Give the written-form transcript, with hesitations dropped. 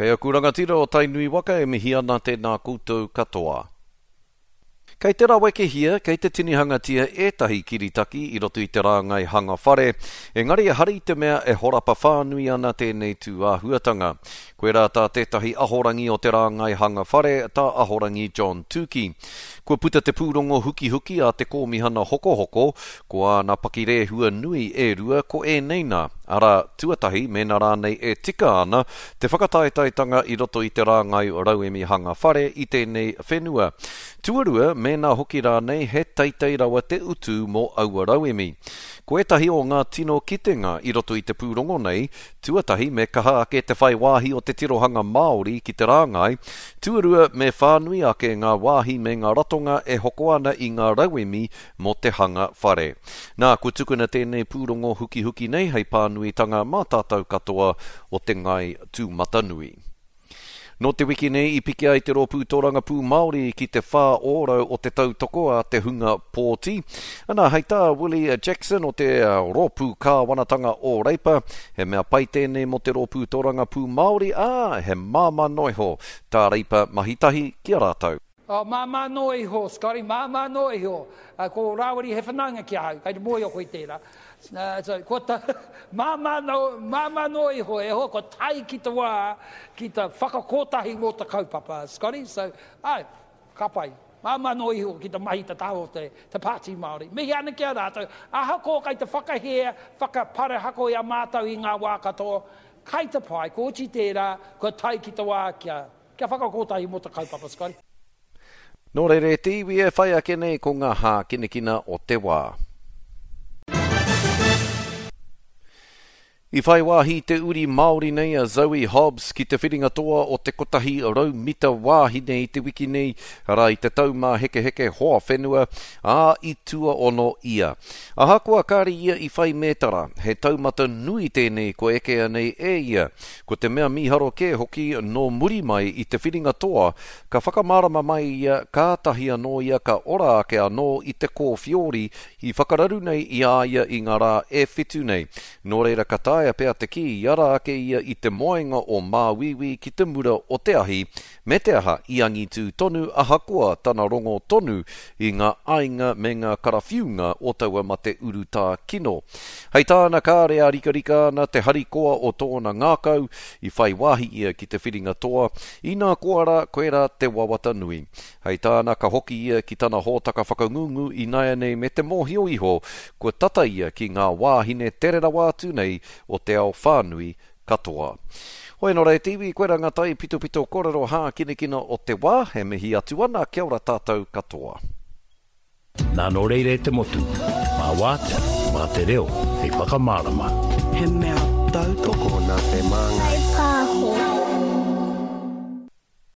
Kei aku rangatira o Tainui waka e mihi ana tēnā koutou katoa. Kei te rawekehia, kei te tinihangatia ētahi kiritaki i roto i te rāngai hanga whare, engari ehara i te mea e horapa whānui ana tēnei tū āhuatanga. Koirā tā tētahi ahorangi o te rāngai hanga whare, tā Ahorangi John Tuki. Kua puta te pūrongo hukihuki a te Kōmihana Hokohoko, ko āna pakirehua nui e rua ko ēnei nā, arā, tuatahi mēnā rānei e tika ana te whakataetaetanga i roto i te rāngai rauemi hanga whare i tēnei whenua. Tuarua, mēnā hoki rānei he teitei rawa te utu mō aua rauemi. Ko ētahi o ngā tino kitenga i roto i te pūrongo nei, tuatahi me kaha ake te whai wāhi o te tirohanga Māori ki te rāngai, tuarua me whānui ake ngā wāhi me ngā ratonga e hoko ana i ngā rauemi mō te hanga whare. Nā, kua tukuna tēnei pūrongo hukihuki nei hei pānuitanga mā tātou katoa o te ngāi tūmatanui. Nō te wiki nei i piki ai te Rōpū Tōrangapū Māori ki te 4% o te tautoko a te hunga pōti. Ana, hei tā Willie Jackson o te Rōpū Kāwanatanga o Reipa, he mea pai tēnei mō te Rōpū Tōrangapū Māori, ā, he māmā noa iho tā Reipa mahi tahi ki a rātou. Oh, māmā noa iho, Scotty, māmā noa iho. Uh, ko Rāwiri he whanaunga ki ahau, kei te mōhio koe i tērā. Uh, so, kua ta, māmā, no, māmā noa iho, e hoa, kua tae ki te wā, ki te whakakotahi mō te kaupapa, Scotty. So, ai, ka pai. Māmā noa iho ki te mahi te taha o te, te Pāti Māori. Mihi ana ki a rātou, ahakoa kei te whakahē, whakaparahako i a mātou i ngā wā katoa, kai te pai, kua oti tērā, kua tae ki te wā kia, Kia whakakotahi mō te kaupapa, Scotty. Nō reira e te iwi e whai ake nei ko ngā hākinakina o te wā. I whai wāhi te uri Māori nei a Zoe Hobbs ki te whiringa toa o te 100 mita wāhine i te wiki nei, arā i te Taumāhekeheke Hoa Whenua, ā, i tuaono ia. Ahakoa kāre ia i whai mētara, he taumata nui tēnei kua ekea nei e ia. Ko te mea mīharo kē hoki, nō muri mai i te whiringa toa, ka whakamārama mai ia kātahi anō ia ka ora ake anō i te kōwhiori i whakararu nei i a ia i ngā rā e whitu nei. Nō reira ka taea pea te kī i ara ake ia i te moenga o Māuiui ki te mura o te ahi, me te aha i angitū tonu ahakoa tana rongo tonu i ngā aiga me ngā karawhiunga o taua mate urutā kino. Hei tāna kāre ārikarika ana te harikoa o tōna ngākau, i whai wāhi ia ki te whiringa toa, inā koa rā, koirā te wawata nui. Hei tāna ka hoki ia ki tana hōtaka whakangungu ināianei me te mōhio iho kua tata ia ki ngā wāhine tere rawa atu nei o te ao whānui katoa. Hoi ano ra e te iwi, koira nga tai pitopito korero hākinakina o te wa, e mihi atu ana, kia ora tatou katoa. Nā nō reira e te motu, mā wātea, mā te reo hei whakamārama. He mea tautoko. Tokona te māngai. Whai pāho.